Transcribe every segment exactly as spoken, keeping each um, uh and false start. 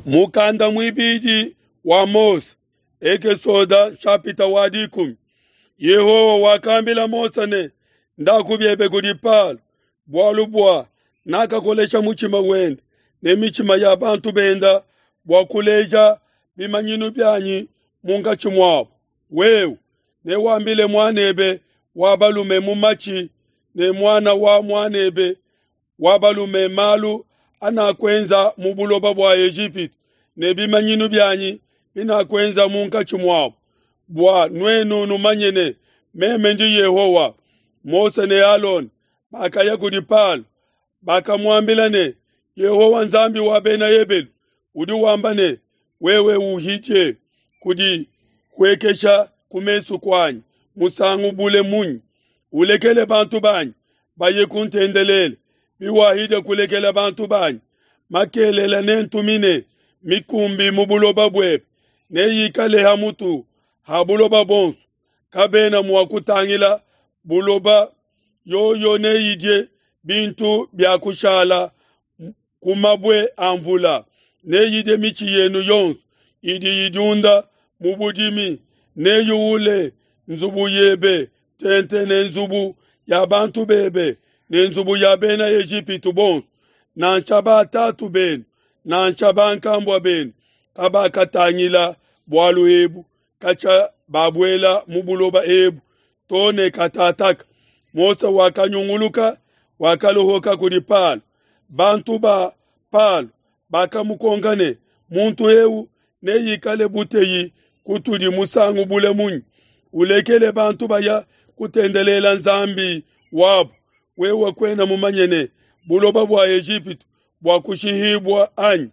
Mukanda muibidi wa Mose, Ekesoda nshapita wa dikumi. Yehowa wakambila Mose ne, ndaku biebe kudi Palo, bualu bua nakakolesha mutshima wende ne mitshima ya bantu benda bua kuleja bimanyinu bianyi munkatshi muabu. Wewe newambile muanebe wa balume mu matshi ne muana wa muanebe wa balume malu anakuenza mu buloba bua Ejipitu ne bimanyinu bianyi binakuenza munkatshi muabu, bua nuenu numanye ne meme ndi Yehowa. Mose ne Alona bakaya kudi Palo, bakamuambila ne, Yehowa Nzambi wa Bena Ebelu udi wamba ne, wewe uhidie kudihuekesha ku mesu kuanyi musangu bule munyi? Ulekele bantu banyi baye kuntendelela. Biwahidia kulekela bantu banyi, makelela nentumine mikumbi mu buloba buebe, neyikale ha mutu ha buloba buonso. Kabena mua kutangila buloba, yoyo neyidie bintu bia kushala ku mabue a mvula, neyidie mitshi yenu yonso idi idiunda mu budimi, neyuwule nzubu yebe tente ne nzubu ya bantu bebe ne nzubu ya bena Ejipitu bonso, nansha batatu benu nansha bankambua benu kabakatangila bualu ebu katshia babuela mu buloba ebu to ne katataka. Mose wakanyunguluka wakalohoka kudi Palo. Bantu ba Palo bakamukonka ne, muntu eu neikale buteyi kutudi musangu bule munyi? Ulekele bantu baya kutendelela Nzambi wabu. Wewe kuena mumanye ne buloba bua Ejipitu bua kushihibua anyi?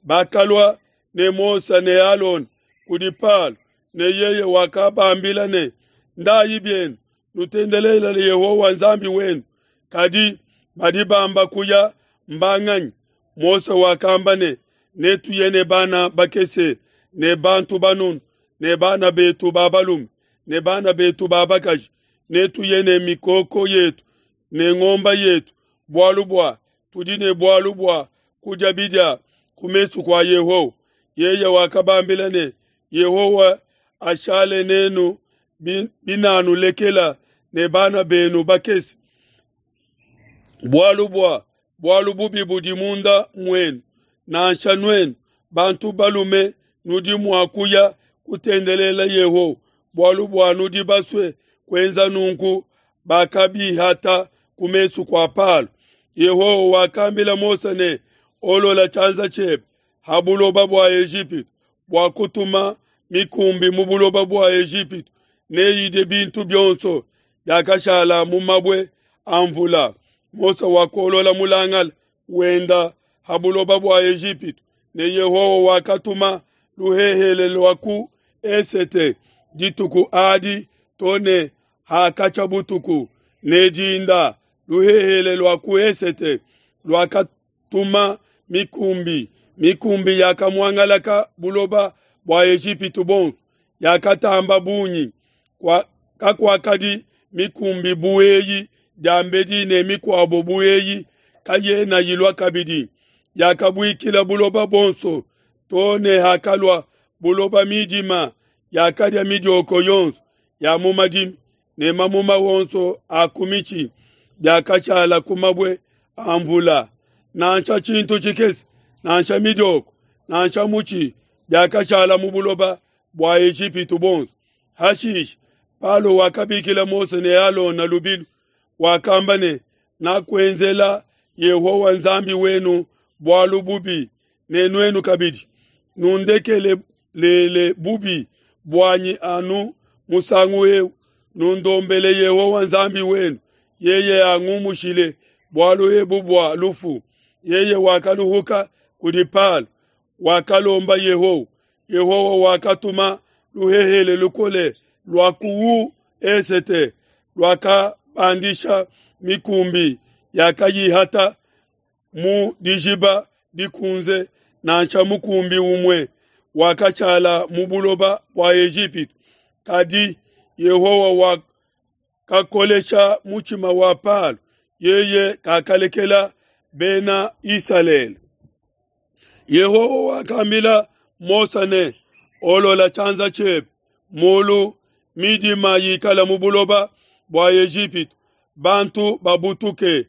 Bakalua ne Mose ne Alona kudi Palo, ne yeye wakabambila ne, ndayi bienu nutendelele Yehowa Nzambi wenu. Kadi badi bamba kuya mbanganyi? Mose wakamba ne, netuye ne bana bakese ne bantu banunu ne bana betu ba balume ne bana betu ba bakaji, netuye ne mikoko yetu ne ngomba yetu, bualu bua tudi ne bualu bua kudia bidia ku mesu kua Yehowa. Yeye wakabambila ne, Yehowa ashale nenu binanulekela ne bana benu bakese, bualu bua bualu bubi budi munda muenu. Nansha nuenu bantu balume nudi mua kuya kutendelela Yehowa, bualu bua nudi basue kuenza nunku. Bakabihata ku mesu kua Palo. Yehowa wakambila Mose ne, olola tshianza tshiebe ha buloba bua Ejipitu bua kutuma mikumbi mu buloba bua Ejipitu, neyidie bintu bionso biakashala mu mabue a mvula. Mose wakolola mulangala wenda ha buloba bua Ejipitu, ne Yehowa wakatuma luhehele lua ku esete dituku adi to ne hakatshia butuku ne dinda. Luhehele lua ku esete luakatuma mikumbi, mikumbi yakamuangalaka buloba bua Ejipitu bonso, yakatamba bungi. Kakuakadi mikumbi bu eyi diambedi ne mikuabo bu eyi kayena ilua kabidi. Yakabuikila buloba bonso to ne hakalua buloba midima, yakadia midioko yonso ya mu madimi ne mamuma wonso a ku mitshi biakashala ku mabue a mvula. Nansha tshintu tshikese nansha midioko nansha mutshi biakashala mu buloba bua Ejipitu bonso. Hashishe Palo wakabikila Mose ne Alona lubilu, wakamba ne, nakuenzela Yehowa Nzambi wenu bualu bubi, ne nuenu kabidi nundekelele bubi buanyi anu musangu eu, nundombele Yehowa Nzambi wenu, yeye angumushile bualu ebu bua lufu. Yeye wakaluhuka kudi Palo, wakalomba Yehowa. Yehowa wakatuma luhehele lukole lua ku esete, luakabandisha mikumbi yakayihata mu dijiba dikunze, nansha mukumbi umue wakashala mu buloba bua Ejipitu. Kadi Yehowa wakakolesha mutshima wa Palo, yeye kakalekela bena Isalele. Yehowa wakambila Mose ne, Olola tshianza tshiebe mulu, midima yikala mu buloba bua Ejipitu, bantu babutuke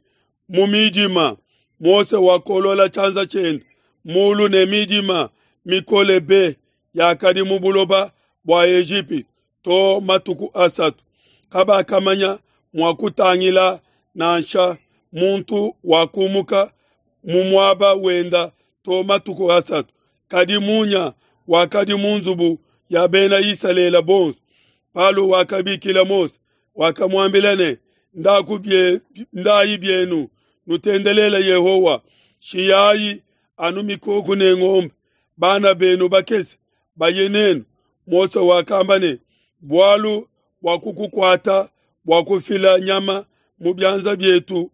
mu midima. Mose wakolola tshianza tshiende mulu ne midima mikole be yakadi mu buloba bua Ejipitu to matuku asatu. Kabakamanya mua kutangila nansha muntu wakumuka mu muaba wenda to matuku asatu. Kadi munya wakadi mu nzubu ya bena Isalele bonso. Palo wakabikila Mose, wakamuambila ne, ndaku bie, ndayi bienu nutendelele Yehowa, shiyayi anu mikoko ne ngombe, bana benu bakese baye nenu. Mose wakamba ne, bualu bua kukukuata bua kufila nyama mu bianza bietu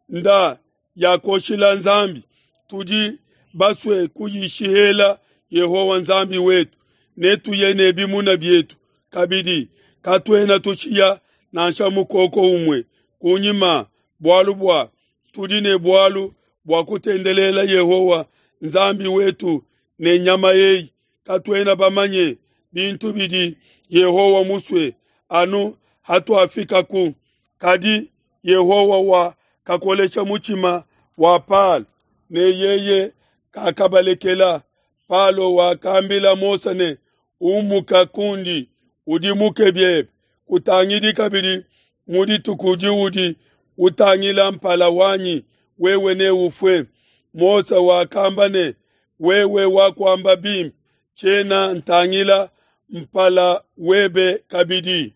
nda yakoshila Nzambi, tudi basue kuyishihela Yehowa Nzambi wetu, netuye ne bimuna bietu kabidi, katuena tushiya nansha mukoko umue kunyima, bualu bua tudi ne bualu bua kutendelela Yehowa Nzambi wetu ne nyama eyi. Katuena bamanye bintu bidi Yehowa musue anu hatuafikaku. Kadi Yehowa wakakolesha mutshima wa Palo, ne yeye kakabalekela. Palo wakambila Mose ne, Umuka kundi, udimuke biebe, kutangidi kabidi mu dituku diudi utangila mpala wanyi, wewe neufue. Mose wakamba ne, wewe wakuamba bimpe, tshiena ntangila mpala webe kabidi.